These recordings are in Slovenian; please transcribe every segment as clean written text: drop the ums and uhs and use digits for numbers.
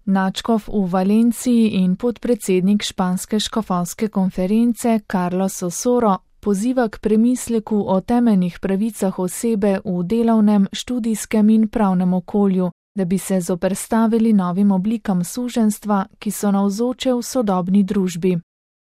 Nadškof v Valenciji in podpredsednik španske škofovske konference Carlos Osoro poziva k premisleku o temeljnih pravicah osebe v delovnem, študijskem in pravnem okolju, da bi se zoperstavili novim oblikam suženjstva, ki so navzoče v sodobni družbi.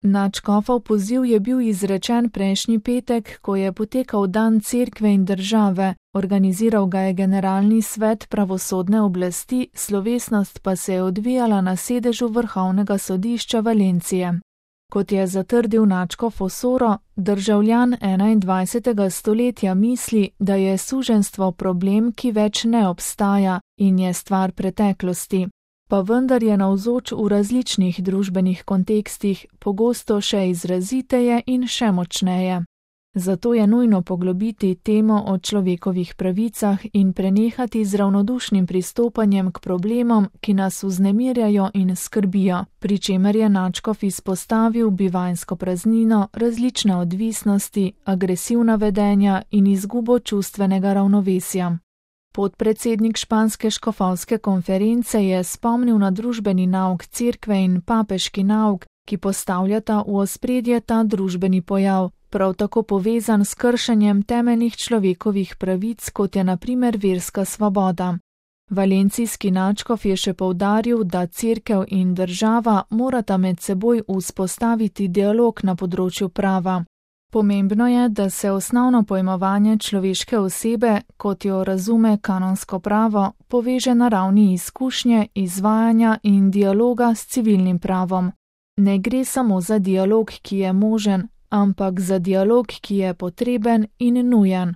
Nadškofov poziv je bil izrečen prejšnji petek, ko je potekal Dan Cerkve in države, organiziral ga je Generalni svet pravosodne oblasti, slovesnost pa se je odvijala na sedežu Vrhovnega sodišča Valencije. Kot je zatrdil nadškof Osoro, državljan 21. stoletja misli, da je suženjstvo problem, ki več ne obstaja in je stvar preteklosti, pa vendar je navzoč v različnih družbenih kontekstih, pogosto še izraziteje in še močneje. Zato je nujno poglobiti temo o človekovih pravicah in prenehati z ravnodušnim pristopanjem k problemom, ki nas vznemirjajo in skrbijo, pri čemer je nadškof izpostavil bivanjsko praznino, različne odvisnosti, agresivna vedenja in izgubo čustvenega ravnovesja. Podpredsednik španske škofovske konference je spomnil na družbeni nauk cerkve in papeški nauk, ki postavljata v ospredje ta družbeni pojav, prav tako povezan s kršenjem temeljnih človekovih pravic, kot je na primer verska svoboda. Valencijski nadškof je še poudaril, da cerkev in država morata med seboj vzpostaviti dialog na področju prava. Pomembno je, da se osnovno pojmovanje človeške osebe, kot jo razume kanonsko pravo, poveže na ravni izkušnje, izvajanja in dialoga s civilnim pravom. Ne gre samo za dialog, ki je možen, ampak za dialog, ki je potreben in nujen.